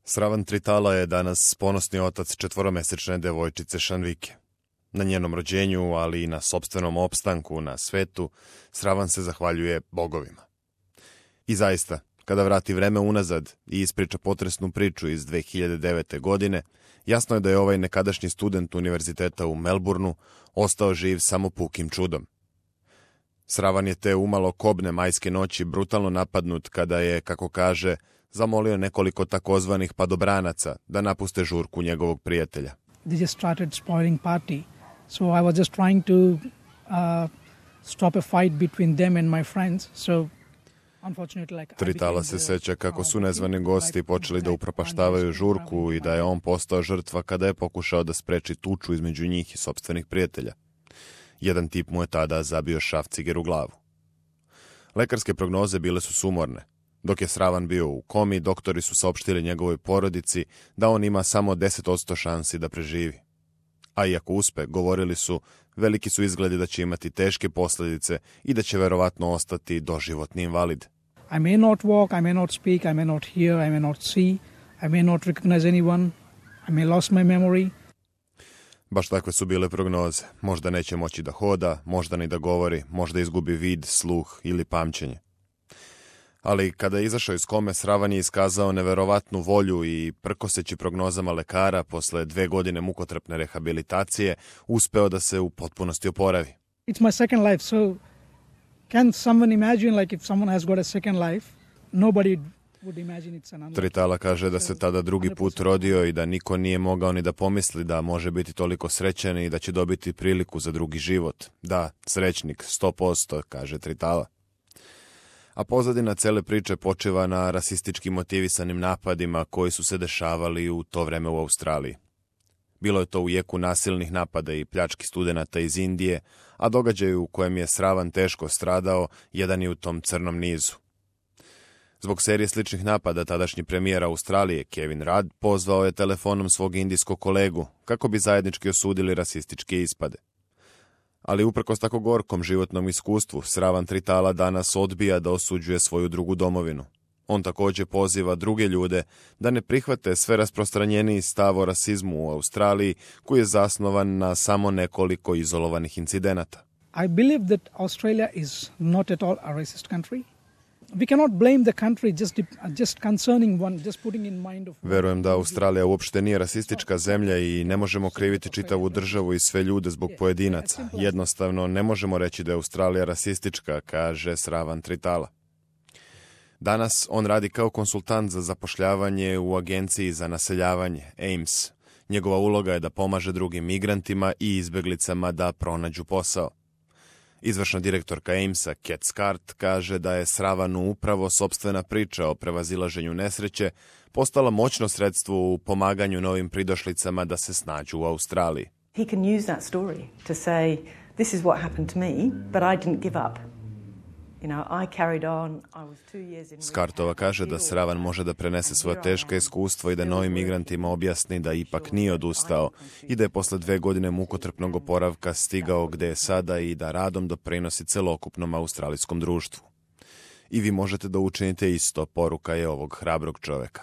Sravan Tritala je danas ponosni otac četvoromesečne devojčice Šanvike. Na njenom rođenju, ali i na sopstvenom opstanku na svetu, Sravan se zahvaljuje bogovima. I zaista, kada vrati vreme unazad i ispriča potresnu priču iz 2009. godine, jasno je da je ovaj nekadašnji student univerziteta u Melbourneu ostao živ samo pukim čudom. Sravan je te umalo kobne majske noći brutalno napadnut kada je, kako kaže, zamolio nekoliko takozvanih padobranaca da napuste žurku njegovog prijatelja. They just started spoiling party. So I was just trying to stop a fight between them and my friends. So Tritala se seća kako su nezvani gosti počeli da upropaštavaju žurku i da je on postao žrtva kada je pokušao da spreči tuču između njih i sopstvenih prijatelja. Jedan tip mu je tada zabio šav ciger u glavu. Lekarske prognoze bile su sumorne. Dok je Sravan bio u komi, doktori su saopštili njegovoj porodici da on ima samo 10% šansi da preživi. A iako uspe, govorili su, veliki su izgledi da će imati teške posljedice i da će verovatno ostati doživotni invalid. I may not walk, I may not speak, I may not hear, I may not see, I may not recognize anyone, I may lost my memory. Baš takve su bile prognoze. Možda neće moći da hoda, možda ni da govori, možda izgubi vid, sluh ili pamćenje. Ali kada je izašao iz kome, Sravan je iskazao neverovatnu volju i, prkoseći prognozama lekara, posle 2 godine mukotrpne rehabilitacije, uspeo da se u potpunosti oporavi. It's my second life, so can someone imagine like if someone has got a second life, nobody would imagine it's an unlucky. Tritala kaže da se tada drugi put rodio i da niko nije mogao ni da pomisli da može biti toliko srećan i da će dobiti priliku za drugi život. Da, srećnik, 100%, kaže Tritala. A pozadina cele priče počiva na rasistički motivisanim napadima koji su se dešavali u to vreme u Australiji. Bilo je to u jeku nasilnih napada i pljački studenata iz Indije, a događaj u kojem je Sravan teško stradao jedan je u tom crnom nizu. Zbog serije sličnih napada tadašnji premijer Australije Kevin Rudd pozvao je telefonom svog indijskog kolegu kako bi zajednički osudili rasističke ispade. Ali uprkos tako gorkom životnom iskustvu, Sravan Tritala danas odbija da osuđuje svoju drugu domovinu. On također poziva druge ljude da ne prihvate sve rasprostranjeniji stav o rasizmu u Australiji koji je zasnovan na samo nekoliko izolovanih incidenata. I believe that Australia is not at all a racist country. We cannot blame the country just concerning one, just putting in mind of... Verujem da Australija uopšte nije rasistička zemlja i ne možemo kriviti čitavu državu i sve ljude zbog pojedinaca. Jednostavno, ne možemo reći da je Australija rasistička, kaže Sravan Tritala. Danas on radi kao konsultant za zapošljavanje u agenciji za naseljavanje, AIMS. Njegova uloga je da pomaže drugim migrantima i izbeglicama da pronađu posao. Izvršna direktorka AIMS-a, Cat Scart, kaže da je Sravanu upravo sopstvena priča o prevazilaženju nesreće postala moćno sredstvo u pomaganju novim pridošlicama da se snađu u Australiji. He can use that story to say, this is what happened to me, but I didn't give up. You know, I carried on. I was 2 years in... Skartova kaže da Sravan može da prenese svoje teška iskustva i da novim migrantima objasni da ipak nije odustao i da je posle 2 godine mukotrpnog oporavka stigao gde je sada i da radom doprinosi celokupnom australijskom društvu. I vi možete da učinite isto, poruka je ovog hrabrog čoveka.